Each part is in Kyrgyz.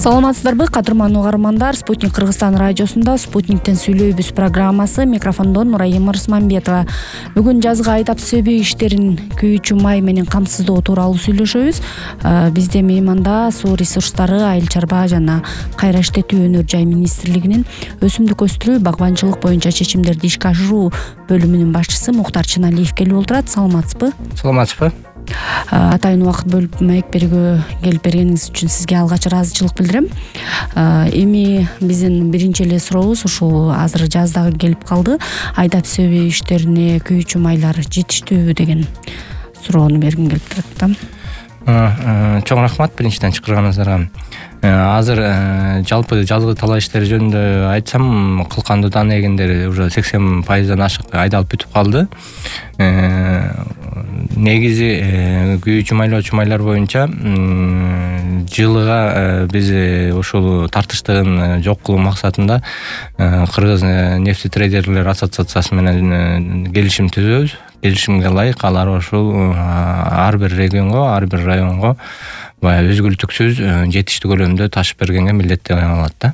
Саламатсыздарбы, кадырман угармандар? Спутник Кыргызстан радиосунда Спутниктен сүйлөйбүз программасы. Микрофондон Нурайым Рысманбетова. Бүгүн жазгы айдап сөбүй иштерин күйүүчү май менен камсыздоо тууралуу сүйлөшөбүз. Бизде мейманда Суу ресурстары, айыл чарба жана кайра иштетүү өнөр жай министрлигинин өсүмдүк өстүрүү, багбанчылык боюнча чечимдерди ишке ашыруу бөлүмүнүн башчысы Мухтар Чыналиев келип отурат. Саламатсызбы? Саламатсызбы. Атайын убакыт бөлүп маек берүүгө келип бергениңиз үчүн сизге алгач ыраазычылык билдирем. Эми биздин биринчи эле сурообуз ушул азыр жаз дагы келип калды. Айдап сөбүй иштерине күйүүчү майлар жетиштүүбү деген суроону бергим келип турат да. Чоң рахмат биринчиден чакырганыңыздарга. Азыр жалпы жазгы талаа иштери жөнүндө айтсам, кылкандуу дан эгендер уже 80%-дан ашык айдалып бүтүп калды. Негизи күйүүчү майлоочу майлар боюнча жылыга биз ушул тартыштыгын жок кылуу максатында Кыргыз нефтетрейдерлер ассоциациясы менен келишим түзөбүз. Келишимге ылайык алар ушул ар бир регионго, ар бир районго баягы үзгүлтүксүз жетиштүү көлөмдө ташып бергенге милдеттенген алат да.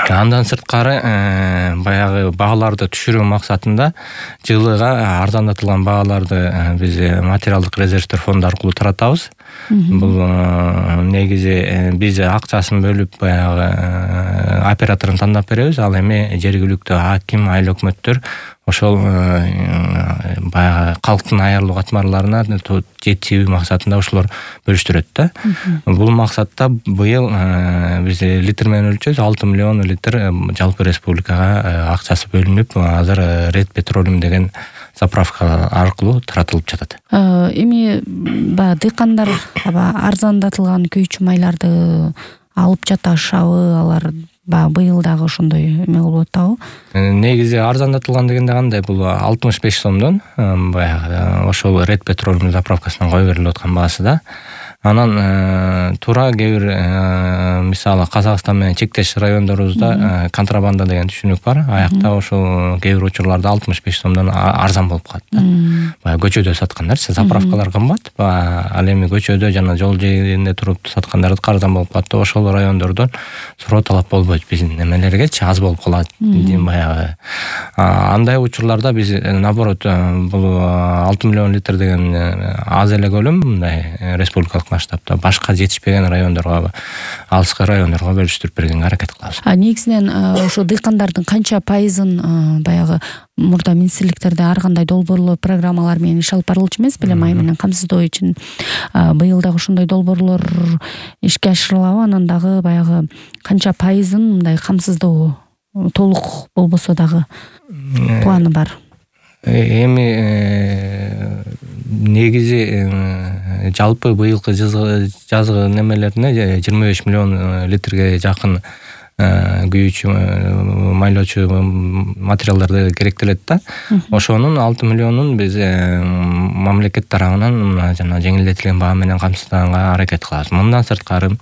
Андан сырткары баягы бааларды түшүрүү максатында жылыга арзандатылган бааларды биз материалдык резервдер фонду аркылуу таратабыз. Бул негизи биз акчасын бөлүп баягы операторун тандап беребиз, ал эми жергиликтүү аким, айыл өкмөттөр ошол баягы калктын аярлуу катмарларына жетүү максатында ошолор бөлүштүрөт да. Бул максатта быйыл биз литр менен өлчөбүз, 6 миллион литр жалпы республикага акчасы бөлүнүп, азыр Red Petroleum деген заправка аркылуу таратылып жатат. Эми баягы дыйкандар арзандатылган күйүүчү майларды алып жатышабы, алар быйыл дагы ошондой эме болуп атабы? Негизи арзандатылган дегенде кандай, бул 65 сомдон баягы ошол Red Petroleum заправкасынан кое берилип аткан баасы да. Анан туура кээ бир мисалы Казакстан менен чектеш райондорубузда контрабанда деген түшүнүк бар. Аякта ошол кээ бир учурларда 65 сомдон арзан болуп калат да. Баягы көчөдө саткандар, заправкалар кымбат, ал эми көчөдө жана жол жээгинде туруп саткандарды арзан болуп калат да. Ошол райондордон суроо талап болбойт биздин немелергечи, аз болуп калат. Баягы андай учурларда биз наоборот бул 6 миллион литр деген аз эле көлөм, мындай республикалык масштабта башка жетишпеген райондорго, алыскы райондорго бөлүштүрүп бергенге аракет кылабыз. Негизинен ошо дыйкандардын канча пайызын баягы мурда министрликтерде ар кандай долбоорлор, программалар менен иш алып барылчу эмес беле май менен камсыздоо үчүн? Быйыл дагы ошондой долбоорлор ишке ашырылабы? Анан дагы баягы канча пайызын мындай камсыздоо толук болбосо дагы планы бар? Эми негизи жалпы быйылкы жазгы немелерине 25 миллион литрге жакын күйүүчү майлоочу материалдарды керектелет да. Ошонун 6 миллионун биз мамлекет тарабынан жана жеңилдетилген баа менен камсыздаганга аракет кылабыз. Мындан сырткары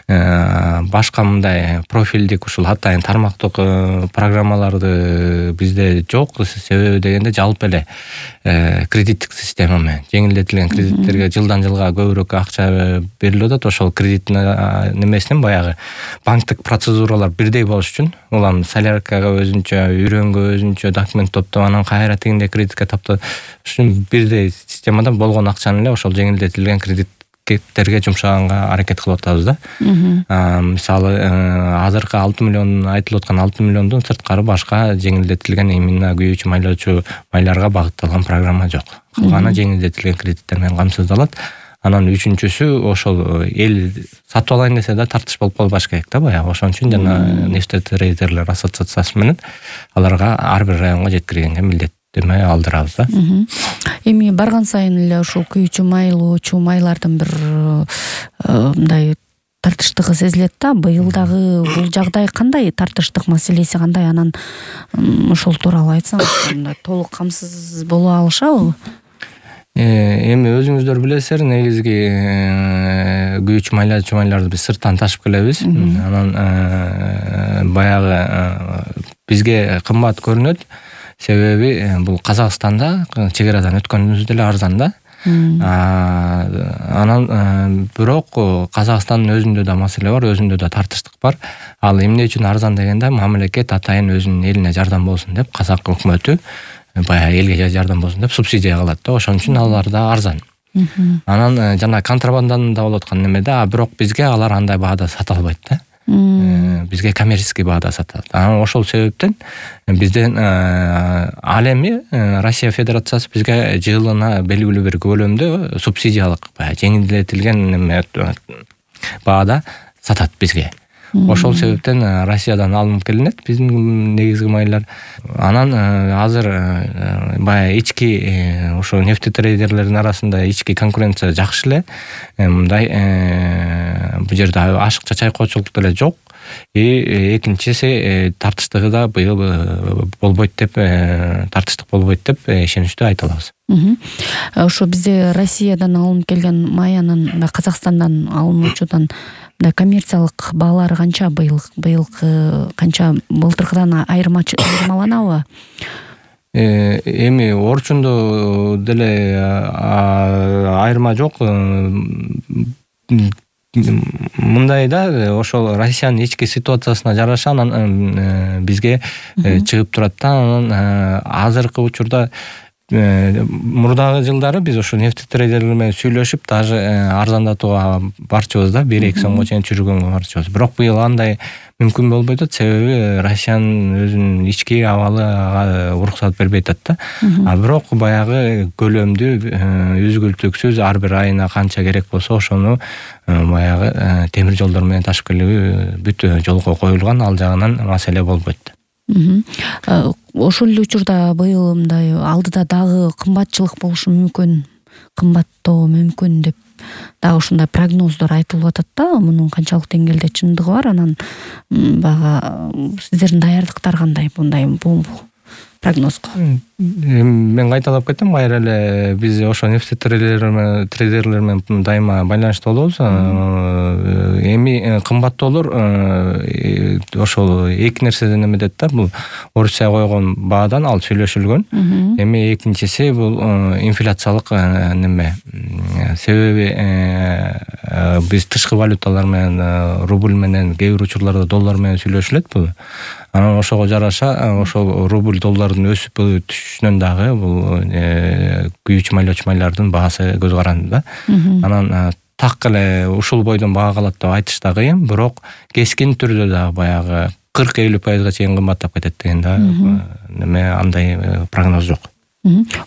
башка мындай профилдик ушул атайын тармактык программаларды бизде жок. Себеби дегенде жалпы эле кредиттик система менен жеңилдетилген кредиттерге жылдан жылга көбүрөөк акча берилип атат. Ошол кредит немесинин баягы банктык процедуралар бирдей болуш үчүн улам соляркага өзүнчө, үйрөнгө өзүнчө документ топтоп, анан кайра тегинде кредитке таптоо үчүн бирдей системада болгон акчаны эле ошол жеңилдетилген кредиттерге жумшаганга аракет кылып атабыз да. Мисалы азыркы 6 миллион айтылып аткан 6 миллиондон сырткары башка жеңилдетилген именно күйүүчү майлоочу майларга багытталган программа жок. Калганы жеңилдетилген кредиттер менен камсыздалат. Анан үчүнчүсү ошол эл сатып алайын десе да тартыш болуп калбаш керек да баягы. Ошон үчүн жана нефтетрейдерлер ассоциациясы менен аларга ар бир районго жеткиргенге милдеттеме алдырабыз да. Эми барган сайын эле ушул күйүүчү майлоочу майлардын бир мындай тартыштыгы сезилет да. Быйыл дагы бул жагдай кандай, тартыштык маселеси кандай? Анан ошол тууралуу айтсаңыз, мындай толук камсыз боло алышабы? Эми өзүңүздөр билесиздер, негизги күйүүчү майлоочу майларды биз сырттан ташып келебиз. Анан баягы бизге кымбат көрүнөт. Себеби бул Казакстанда чек арадан өткөнүбүздө эле арзан да. Анан бирок Казакстандын өзүндө да маселе бар, өзүндө да тартыштык бар. Ал эмне үчүн арзан дегенде, мамлекет атайын өзүнүн элине жардам болсун деп, казак өкмөтү баягы элге жардам болсун деп субсидия кылат да, ошон үчүн алар да арзан. Анан жана контрабанданын да болуп аткан неме бирок бизге алар андай баада сата албайт да. Бизге коммерческий баада сатат. Анан ошол себептен бизден ал эми Россия Федерациясы бизге жылына белгилүү бир көлөмдө субсидиялык жеңилдетилген неме баада сатат бизге. Ошол себептен Россиядан алынып келинет биздин негизги майлар. Анан азыр баягы ички ошо нефтетрейдерлердин арасында ички конкуренция жакшы эле. Мындай бул жерде ашыкча чайкоочулук деле жок. Экинчиси тартыштыгы да быйыл болбойт деп, тартыштык болбойт деп ишеничтүү айта алабыз. Ошо бизде Россиядан алынып келген маянын Казакстандан алынуучудан коммерциялык баалары канча быйылкы канча былтыркыдан айырмаланабы? Эми орчундо деле айырма жок. Мындай да, ошол Россиянын ички ситуациясына жараша анан бизге чыгып турат да. Анан азыркы учурда мурдагы жылдары биз ошо нефтетрейдерлер менен сүйлөшүп, даже арзандатууга барчубуз да, 1-2 сомго чейин түшүргөнгө барчубуз. Бирок быйыл андай мүмкүн болбой атат, себеби Россиянын өзүнүн ички абалы уруксат бербей атат да. Бирок баягы көлөмдүү үзгүлтүксүз ар бир айына канча керек болсо ошону баягы темир жолдор менен ташып келүү бүт жолго коюлган, ал жагынан маселе болбойт. Ошол эле учурда быйыл мындай алдыда дагы кымбатчылык болушу мүмкүн, кымбаттоо мүмкүн деп дагы ушундай прогноздор айтылып атат да. Мунун канчалык деңгээлде чындыгы бар, анан баягы сиздердин даярдыктар кандай бул прогнозго? Мен кайталап кетем, кайра эле биз ошо нефтетрейдерлер менен дайыма байланышта болобуз. Эми кымбаттоолор ошол эки нерседен эметет да. Бул Орусия койгон баадан ал сүйлөшүлгөн. Эми экинчиси бул инфляциялык неме. Себеби биз тышкы валюталар менен, рубль менен, кээ бир учурларда доллар менен сүйлөшүлөт бул. Анан ошого жараша ошол рубль доллардын өсүп түшүшүнөн дагы бул күйүүчү майлоочу майлардын баасы көз каранды да. Анан так эле ушул бойдон баа калат деп айтыш да кыйын, бирок кескин түрдө да баягы 40-50% чейин кымбаттап кетет деген да неме, андай прогноз жок.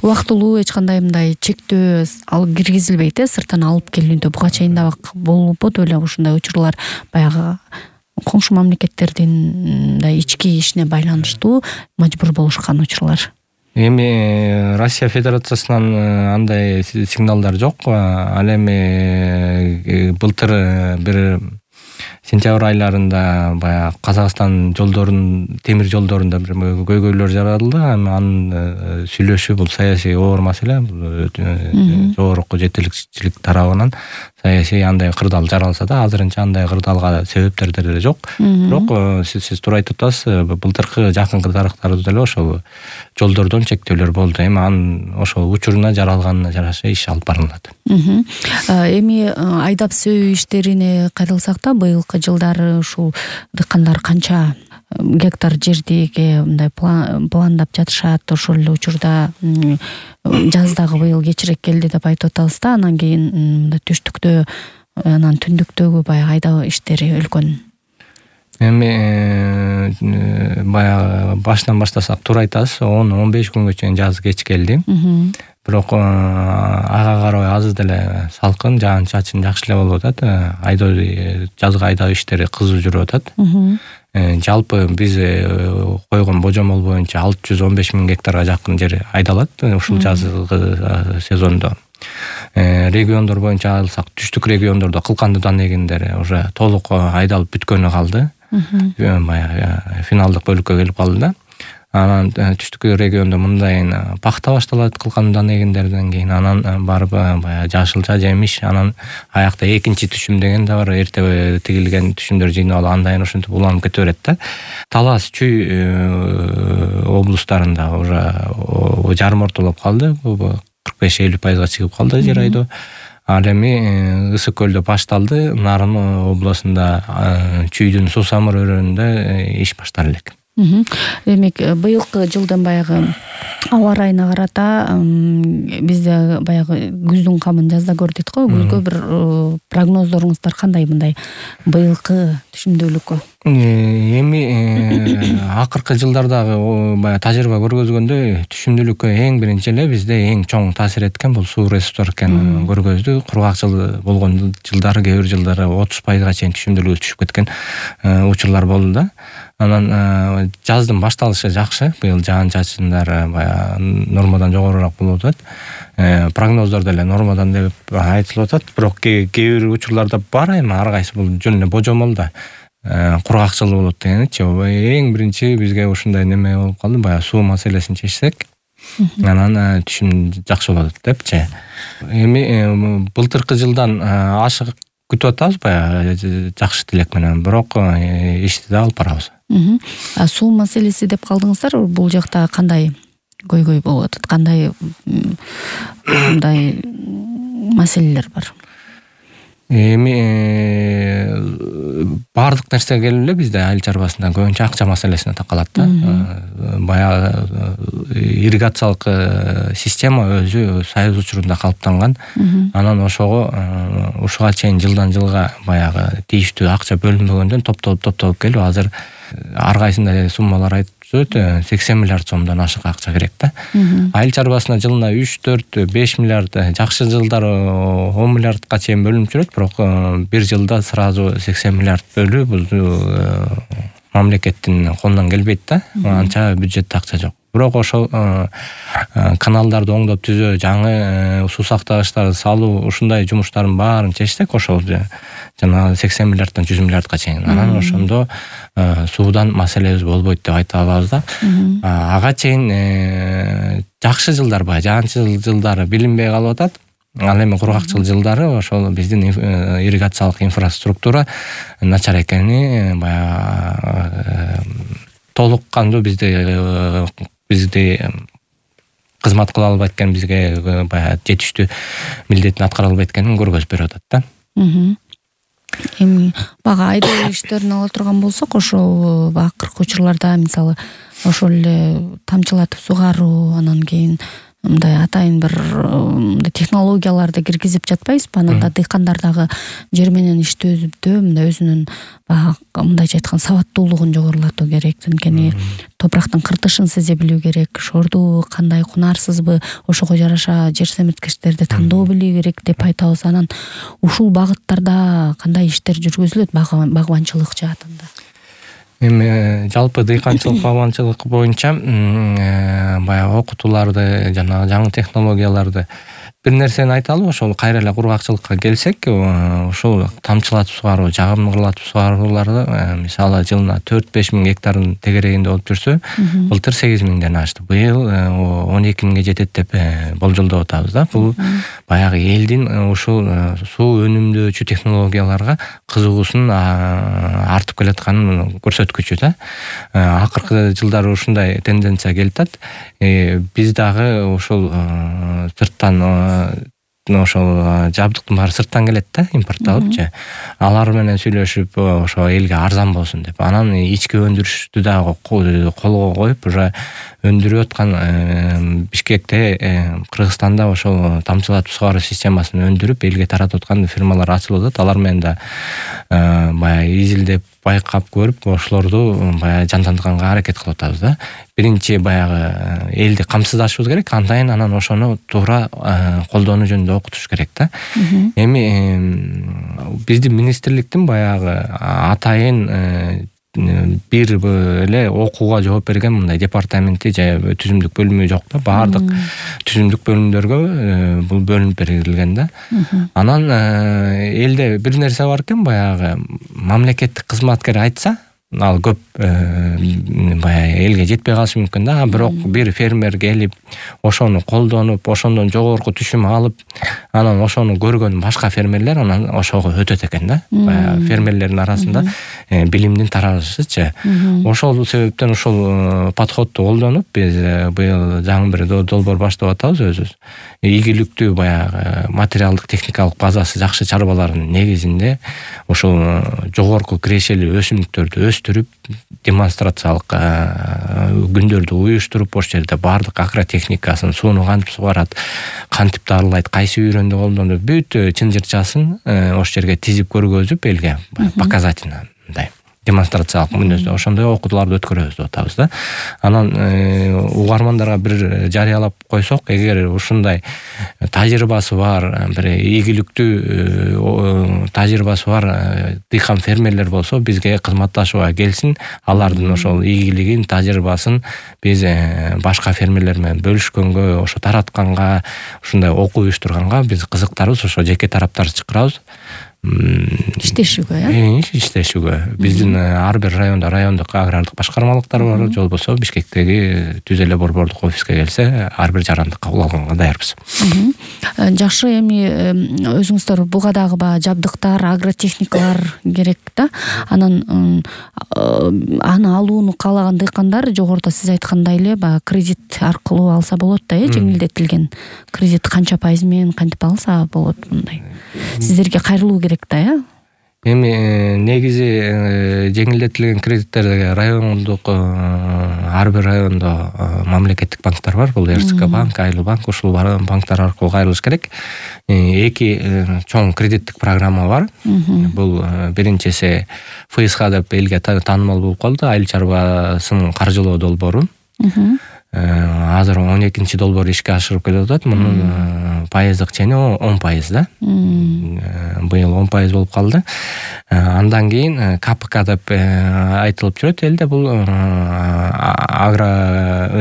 Убактылуу эч кандай мындай чектөө ал киргизилбейт, сырттан алып келүүндө буга чейин да болбоду беле ушундай учурлар, баягы коңшу мамлекеттердин ички ишине байланыштуу мажбур болушкан учурлар. Эми Россия Федерациясынан андай сигналдар жок. Ал эми былтыр бир сентябрь айларында баягы Казакстан жолдорунун, темир жолдорунда бир көйгөйлөр жаралды. Анын сүйлөшүү бул саясий оор маселе, жогорку жетекчилик тарабынан саясий андай кырдаал жаралса да, азырынча андай кырдаалга себептер деле жок. Бирок сиз туура айтып атасыз, былтыркы жакынкы тарыхтарда деле ошол жолдордон чектөөлөр болду. Эми анын ошол учуруна жаралганына жараша иш алып барылат. Эми айдап сөөй иштерине кайрылсак да, быйылкы жылдары ушул дыйкандар канча гектар жердиге мындай пландап жатышат? Ошол эле учурда жаздагы быйыл кечирээк келди деп айтып атабыз да, анан кийин мындай түштүктө, анан түндүктөгү баягы айдоо иштери үлкөн. Эми баягы башынан баштасак туура айтасыз, 10-15 күнгө чейин жаз кеч келди. Бирок ага карабай азыр деле салкын, жаан-чачын жакшы эле болуп атат. Жазгы айдоо иштери кызуу жүрүп атат. Жалпы биз койгон божомол боюнча 615 000 гектарга жакын жер айдалат ушул жазгы сезондо. Региондор боюнча алсак, түштүк региондордо кылкандыдан эгиндери уже толук айдалып бүткөнү калды. Баягы финалдык бөлүккө келип калды да. Анан түштүк региондо мындайын пахта башталат кылкандыдан эгиндерден кийин, анан барып баягы жашылча жемиш, анан аякта экинчи түшүм деген да бар, эрте тигилген түшүмдөр жыйнап алып андайын ошентип уланып кете берет да. Талас, Чүй облустарында уже жарым ортолоп калды. 45-50%га чыгып калды жер айдоо. Ал эми Ысык көлдө башталды, Нарын областында Чүйдүн Суу Самыр өрөөнүндө иш башталып элек. Демек, быйылкы жылдын баягы аба ырайына карата бизде баягы күздүн камын жазда көр дейт го. Күзгө бир прогноздоруңуздар кандай мындай быйылкы түшүмдүүлүккө? Эми акыркы жылдардагы баягы тажрыйба көргөзгөндөй түшүмдүүлүккө эң биринчи эле бизде эң чоң таасир эткен бул суу ресурстары экенин көргөздү. Кургак жыл болгон жылдары, кээ бир жылдары 30%га чейин түшүмдүүлүгү түшүп кеткен учурлар болду да. Анан жаздын башталышы жакшы. Быйыл жаан-чачындар баягы нормадан жогорураак болуп атат. Прогноздор деле нормадан деп айтылып атат. Бирок кээ бир учурларда бар эми ар кайсы бул жөн эле божомол да. Кургак жыл болот дегеничи. Эң биринчи бизге ушундай неме болуп калды. Баягы суу маселесин чечсек, анан түшүм жакшы болот депчи. Эми былтыркы жылдан ашык күтүп атабыз, баягы жакшы тилек менен, бирок ишти да алып барабыз. Суу маселеси деп калдыңыздар, бул жакта кандай көйгөй болуп атат? Кандай мындай маселелер бар? Эми баардык нерсе келип эле бизде айыл чарбасында көбүнчө акча маселесине такалат да. Баягы ирригациялык система өзү Союз учурунда калыптанган. Анан ушуга чейин жылдан жылга баягы тийиштүү акча бөлүнбөгөндөн топтолуп келип, азыр ар кайсында суммалар айтып жүрөт, 80 миллиард сомдон ашык акча керек да. Айыл чарбасына жылына 3-4-5 миллиард, жакшы жылдары 10 миллиардка чейин бөлүнүп жүрөт, бирок бир жылда сразу 80 миллиард бөлүү бул мамлекеттин колунан келбейт да. Анча бюджетте акча жок. Бирок ошол каналдарды оңдоп түзөө, жаңы суу сактагычтарды салуу, ушундай жумуштардын баарын чечсек, ошол жана 80 миллиарддан 100 миллиардка чейин. Анан ошондо суудан маселебиз болбойт деп айта алабыз да. Ага чейин жакшы жылдар, баягы жаанчыл жылдары билинбей калып атат. Ал эми кургакчыл жылдары ошол биздин ирригациялык инфраструктура начар экени, баягы толук кандуу бизди кызмат кыла албайт экен, бизге баягы жетиштүү милдетин аткара албайт экенин көргөзүп берип атат да. Эми бага айдоо иштерин ала турган болсок, ошол акыркы учурларда мисалы ошол эле тамчылатып сугаруу, анан кийин мындай атайын бир технологияларды киргизип жатпайбызбы? Анан да дыйкандар дагы жер менен иштөөдө мындай өзүнүн мындайча айтканда сабаттуулугун жогорулатуу керек. Анткени топурактын кыртышын сезе билүү керек, шорду кандай кунарсызбы, ошого жараша жер семирткичтерди тандоо билүү керек деп айтабыз. Анан ушул багыттарда кандай иштер жүргүзүлөт багбанчылык жаатында? Эми жалпы дыйканчылык, багбанчылык боюнча баягы окутууларды жана жаңы технологияларды бир нерсени айталы. Ошол кайра эле кургакчылыкка келсек, ошол тамчылатып сугаруу, жагымдуулатып сугарууларды мисалы жылына 4-5 миң гектардын тегерегинде болуп жүрсө, былтыр 8 миңден ашты. Быйыл 12 миңге жетет деп болжолдоп атабыз да. Бул баягы элдин ушул суу өнүмдөөчү технологияларга кызыгуусунун артып келатканын көрсөткүчү да. Акыркы жылдары ушундай тенденция келип атат. Биз дагы ошол сырттан ошол жабдыктын баары сырттан келет да, импортталыпчы. Алар менен сүйлөшүп, ошо элге арзан болсун деп. Анан ички өндүрүштү дагы колго коюп, уже өндүрүп аткан Бишкекте, Кыргызстанда ошол тамчылатып сугаруу системасын өндүрүп элге таратып аткан фирмалар ачылып атат. Алар менен да баягы изилдеп, байкап көрүп, ошолорду баягы жандандырганга аракет кылып атабыз да. Биринчи баягы элди камсыздашыбыз керек, анан ошону туура колдонуу жөнүндө окутуш керек да. Эми биздин министрликтин баягы атайын бир эле окууга жооп берген мындай департаменти же түзүмдүк бөлүмү жок да. Баардык түзүмдүк бөлүмдөргө бул бөлүнүп берилген да. Анан элде бир нерсе бар экен, баягы мамлекеттик кызматкер айтса, ал көп баягы элге жетпей калышы мүмкүн да. Бирок бир фермер келип ошону колдонуп, ошондон жогорку түшүм алып, анан ошону көргөн башка фермерлер анан ошого өтөт экен да. Баягы фермерлердин арасында билимдин таралышычы. Ошол себептен ушул подходду колдонуп биз быйыл жаңы бир долбоор баштап атабыз өзүбүз. Ийгиликтүү баягы материалдык техникалык базасы жакшы чарбалардын негизинде ошол жогорку кирешелүү өсүмдүктөрдү өстүрүп, демонстрациялык күндөрдү уюштуруп, ошол жерде баардык агротехникасын, сууну кантип сугарат, кантип дарылайт, кайсы үйрөндү колдонуп, бүт чын жырчасын ошол жерге тизип көргөзүп элге показательно мындай демонстрациялык мүнөздө ошондой окутууларды өткөрөбүз деп атабыз да. Анан угармандарга бир жарыялап койсок, эгер ушундай тажрыйбасы бар, бир ийгиликтүү тажрыйбасы бар дыйкан фермерлер болсо, бизге кызматташууга келсин, алардын ошол ийгилигин, тажрыйбасын биз башка фермерлер менен бөлүшкөнгө, ошо таратканга, ушундай окуу уюштурганга биз кызыктарбыз. Ошо жеке тараптарды чакырабыз. Иштешүүгө, иштешүүгө. Биздин ар бир райондук агрардык башкармалыктар бар, же болбосо Бишкектеги түз эле борбордук офиске келсе, ар бир жаранды кабыл алганга даярбыз. Жакшы, эми өзүңүздөр буга дагы жабдыктар, агротехникалар керек да. Анан аны алууну каалаган дыйкандар жогоруда сиз айткандай эле кредит аркылуу алса болот да, жеңилдетилген кредит канча пайыз менен кантип алса болот мындай. Сиздерге кайрылуу керек да, Эми негизи жеңилдетилген кредиттерге райондук ар бир райондо мамлекеттик банктар бар. Бул РСК банк, Айлы банк, ушул банктар аркылуу кайрылыш керек. Эки чоң кредиттик программа бар. Бул биринчиси ФСХ деп элге таанымал болуп калды. Айыл чарбасын каржылоо долбоору. Азыр 12-чи долбоор ишке ашырып келип атат. Мунун пайыздык чени 10% да. Быйыл 10% болуп калды. Андан кийин КПК деп айтылып жүрөт элде. Бул агро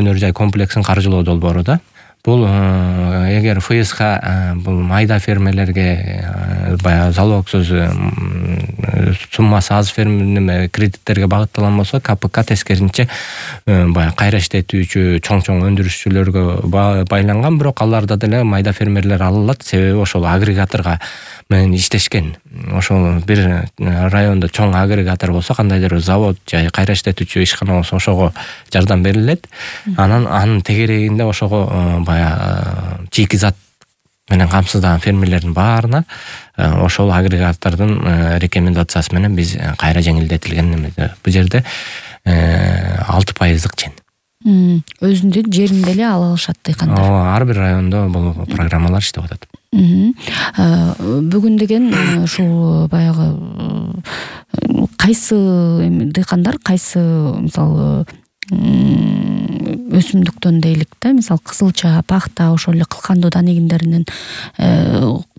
өнөр жай комплексин каржылоо долбоору да. Бул эгер ФСХ бул майда фермерлерге баягы залогсуз суммасы аз кредиттерге багытталган болсо, КПК тескеринче баягы кайра иштетүүчү чоң өндүрүшчүлөргө байланган, бирок аларда деле майда фермерлер алынат. Себеби ошол агрегаторго менен иштешкен. Ошол бир райондо чоң агрегатор болсо, кандайдыр завод же кайра иштетүүчү ишкана болсо, ошого жардам берилет. Анан анын тегерегинде ошого баягы чийки зат менен камсыздаган фермерлердин баарына ошол агрегатордун рекомендациясы менен биз кайра жеңилдетилген эмеде. Бул жерде 6%дык чен. Өзүнүн жеринде эле ала алышат дыйкандар. Ар бир райондо бул программалар иштеп атат. Бүгүн деген ушул баягы кайсы дыйкандар, кайсы мисалы өсүмдүктөн дейлик да, мисалы кызылча, пахта, ошол эле кылкандуу негиндеринин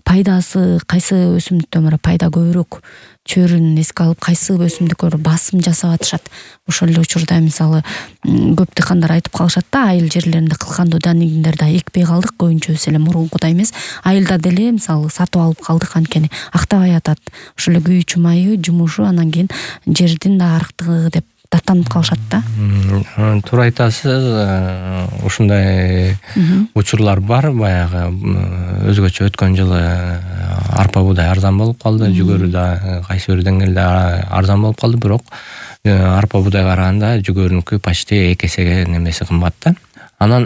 пайдасы кайсы өсүмдүктөн пайда көбүрөөк чөйрүн эске алып, кайсы өсүмдүктөр басым жасап атышат. Ошол эле учурда мисалы көп дыйкандар айтып калышат да, айыл жерлеринде кылкандуу негиндерди экпей калдык, көбүнчөсү эле мурункудай эмес. Айылда деле мисалы сатып алып калдык, анткени актабай атат. Ошол эле күйүүчү майы, жумушу, анан кийин жердин да арыктыгы деп даттанып калышат да. Туура айтасыз. Ушундай учурлар бар. Баягы өзгөчө өткөн жылы арпа буудай арзан болуп калды, жүгөрү да кайсы бир деңгээлде арзан болуп калды, бирок арпа буудайга караганда жүгөрүнүкү почти 2 эсеге немеси кымбат да. Анан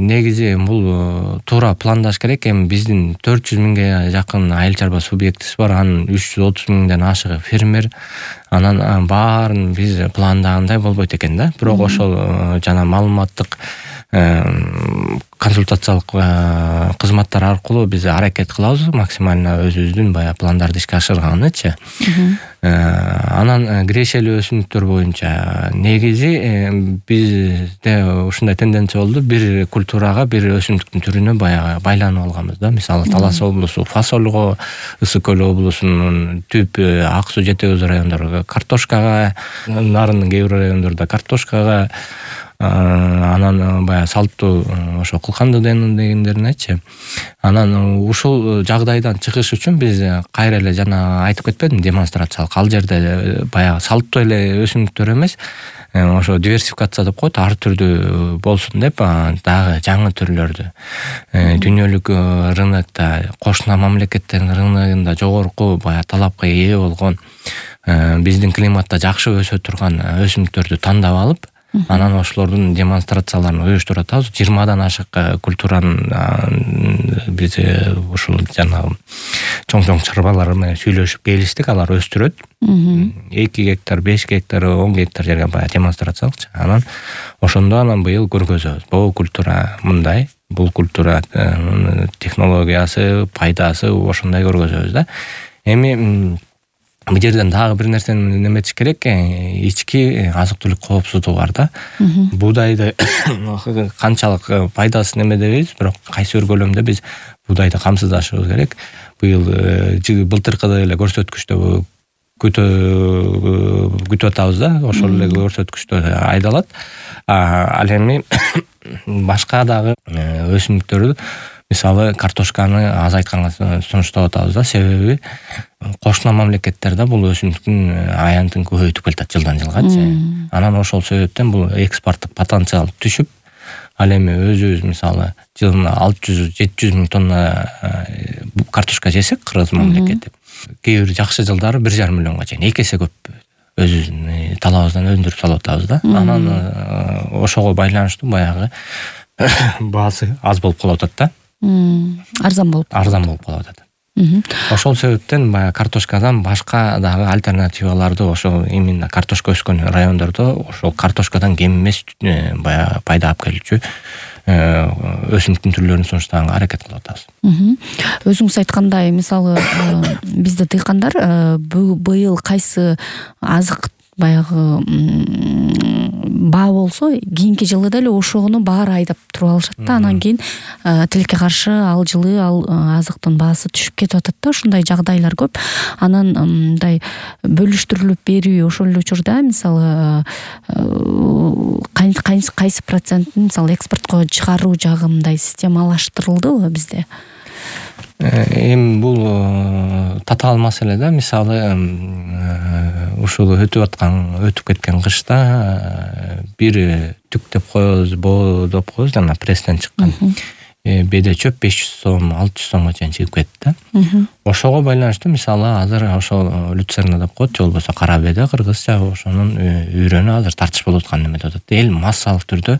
негизи бул туура пландаш керек. Эми биздин 400 миңге жакын айыл чарба субъектиси бар, анын 330 миңден ашыгы фермер. Анан баарын биз пландагандай болбойт экен да. Бирок ошол жана маалыматтык консультациялык кызматтар аркылуу биз аракет кылабыз максимально өзүбүздүн баягы пландарды ишке ашырганычы. Анан кирешелүү өсүмдүктөр боюнча негизи бизде ушундай тенденция болду. Бир культурага, бир өсүмдүктүн түрүнө баягы байланып алганбыз да. Мисалы Талас облусу фасольго, Ысык көл облусунун түп Ак суу жетек өз райондорго картошкага, Нарындын кээ бир райондорунда картошкага, анан баягы салттуу ошо кылкандуу дегендерин айтчы. Анан ушул жагдайдан чыгыш үчүн биз кайра эле жана айтып кетпедимби, демонстрациялык ал жерде баягы салттуу эле өсүмдүктөр эмес, ошо диверсификация деп коет, ар түрдүү болсун деп дагы жаңы түрлөрдү дүйнөлүк рынокто, кошуна мамлекеттердин рыногунда жогорку баягы талапка ээ болгон, биздин климатта жакшы өсө турган өсүмдүктөрдү тандап алып, анан ошолордун демонстрацияларын уюштуруп атабыз. 20дан ашык культуранын биз ушул жанагы чоң чарбалар менен сүйлөшүп келиштик, алар өстүрөт. 2 гектар, 5 гектар, 10 гектар жерге баягы демонстрациялыкчы. Анан ошондо быйыл көргөзөбүз. Бул культура мындай, бул культура технологиясы, пайдасы ошондой көргөзөбүз да. Эми бул жерден дагы бир нерсени неметиш керек, ички азык-түлүк коопсуздугу бар да. Буудайды канчалык пайдасын эме дебейбиз, бирок кайсы бир көлөмдө биз буудайды камсыздашыбыз керек. Быйыл былтыркыдай эле көрсөткүчтө күтүп атабыз да, ошол эле көрсөткүчтө айдалат. Ал эми башка дагы өсүмдүктөрдү, мисалы картошканы азайтканга сунуштап атабыз да, себеби кошуна мамлекеттерде бул өсүмдүктүн аянтын көбөйтүп келатат жылдан жылгачы. Анан ошол себептен бул экспорттук потенциал түшүп, ал эми өзүбүз мисалы жылына 600-700 миң тонна картошка жесек, Кыргыз мамлекети, кээ бир жакшы жылдары 1,5 миллионго чейин, 2 эсе көп өзүбүздүн талабыбыздан өндүрүп салып атабыз да. Анан ошого байланыштуу баягы баасы аз болуп калып атат да. Арзан болуп калып атат. Ошол себептен баягы картошкадан башка дагы альтернативаларды, ошол именно картошка өскөн райондордо ошол картошкадан кем эмес баягы пайда алып келүүчү өсүмдүктүн түрлөрүн сунуштаганга аракет кылып атабыз. Өзүңүз айткандай, мисалы бизде дыйкандар быйыл кайсы азык баягы баа болсо, кийинки жылы деле ошону баары айдап туруп алышат да. Анан кийин тилекке каршы ал жылы ал азыктын баасы түшүп кетип атат да. Ушундай жагдайлар көп. Анан мындай бөлүштүрүлүп берүү, ошол эле учурда мисалы кайсы процентин мисалы экспортко чыгаруу жагы мындай системалаштырылдыбы бизде? Эми бул татаал маселе да. Мисалы ушул өтүп кеткен кышта бир түк деп коебуз, боо деп коебуз, жана пресстен чыккан беде чөп 500 сом, 600 сомго чейин чыгып кетти да. Ошого байланыштуу мисалы азыр ошол люцерна деп коет, же болбосо кара беде кыргызча, ошонун үйрөнү азыр тартыш болуп аткан неме деп атат. Эл массалык түрдө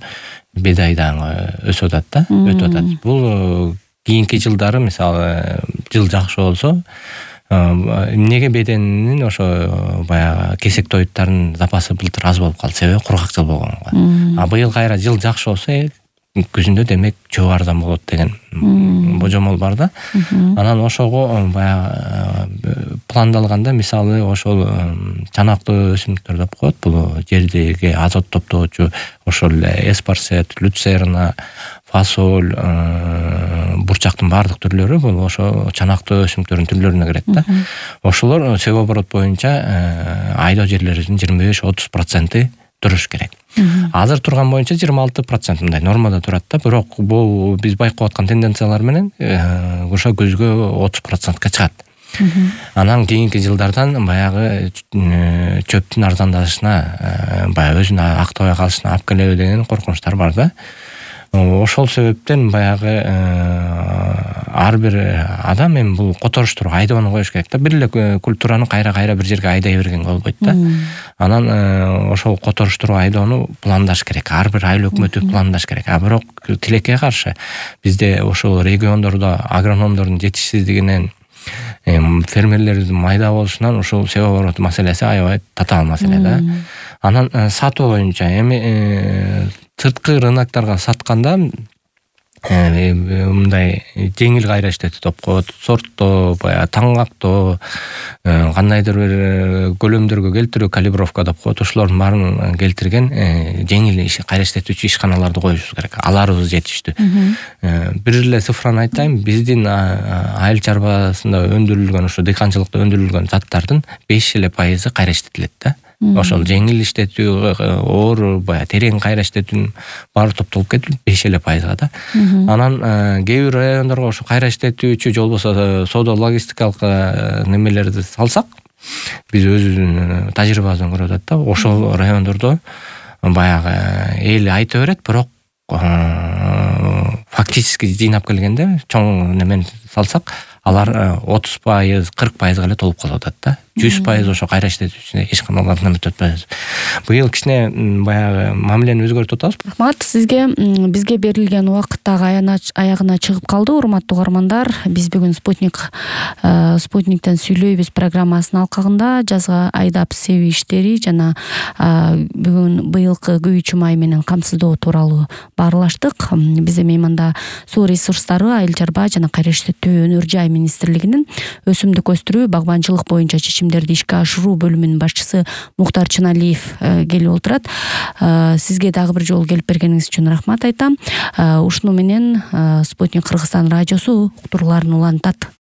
бедайдан өсүп атат да, өтүп атат. Бул кийинки жылдары мисалы жыл жакшы болсо, эмнеге беденин ошо баягы кесек тоюттардын запасы былтыр аз болуп калды, себеби кургак жыл болгонго. Быйыл кайра жыл жакшы болсо, күзүндө демек чөп арзан болот деген божомол бар да. Анан ошого баягы пландалганда мисалы ошол чанактуу өсүмдүктөр деп коет, бул жердеги азот топтоочу, ошол эле эспарсет, люцерна, фасоль, бурчактын баардык түрлөрү бул ошо чанактуу өсүмдүктөрдүн түрлөрүнө кирет да. Ошолор себоборот боюнча айдоо жерлеринин 25-30% туруш керек. Азыр турган боюнча 26% мындай нормада турат да, бирок бул биз байкап аткан тенденциялар менен ошо көзгө 30%ка чыгат. Анан кийинки жылдардан баягы чөптүн арзандашына, баягы өзүн актабай калышына алып келеби деген коркунучтар бар да. Ошол себептен баягы ар бир адам эми бул которуштуруп айдоону коюш керек да. Бир эле культураны кайра бир жерге айдай бергенге болбойт да. Анан ошол которуштуруп айдоону пландаш керек. Ар бир айыл өкмөтү пландаш керек. Бирок тилекке каршы бизде ошол региондордо агрономдордун жетишсиздигинен, фермерлердин майда болушунан ушул себоборот маселеси аябай татаал маселе да. Анан сатуу боюнча эми сырткы рынокторго сатканда мындай жеңил кайра иштетүү деп коет, сорттоо, баягы таңгактоо, кандайдыр бир көлөмдөргө келтирүү, калибровка деп коет, ошолордун баарын келтирген жеңил кайра иштетүүчү ишканаларды коюшубуз керек. Аларыбыз жетиштүү. Бир эле цифраны айтайын, биздин айыл чарбасында өндүрүлгөн, ошо дыйканчылыкта өндүрүлгөн заттардын 5% кайра иштетилет да. ошол жеңил иштетүү, оор, баягы терең кайра иштетүүнүн баары топтолуп кетип 5% да. Анан кээ бир райондорго ошо кайра иштетүүчү же болбосо соода логистикалык немелерди салсак, биз өзүбүздүн тажрыйбабыздан көрүп атат да, ошол райондордо баягы эл айта берет, бирок фактически жыйнап келгенде чоң немен салсак, алар 30%, 40% эле толуп калып атат да. 100% ошо кайра иштетүүчүнө эч кандай алардан өтпөйбүз. Быйыл кичине баягы мамилени өзгөртүп атабыз. Рахмат сизге. Бизге берилген убакыт дагы аягына чыгып калды. Урматтуу угармандар, биз бүгүн Спутниктен сүйлөйбүз программасынын алкагында жазга айдап себүү иштери жана бүгүн быйылкы күйүүчү май менен камсыздоо тууралуу баарлаштык. Бизде мейманда суу ресурстары, айыл чарба жана кайра иштетүү өнөр жай министрлигинин өсүмдүк өстүрүү, багбанчылык боюнча чечимдерди ишке ашыруу бөлүмүнүн башчысы Муктар Чыналиев келип отурат. Сизге дагы бир жолу келип бергениңиз үчүн рахмат айтам. Ушуну менен Спутник Кыргызстан радиосу уктурууларын улантат.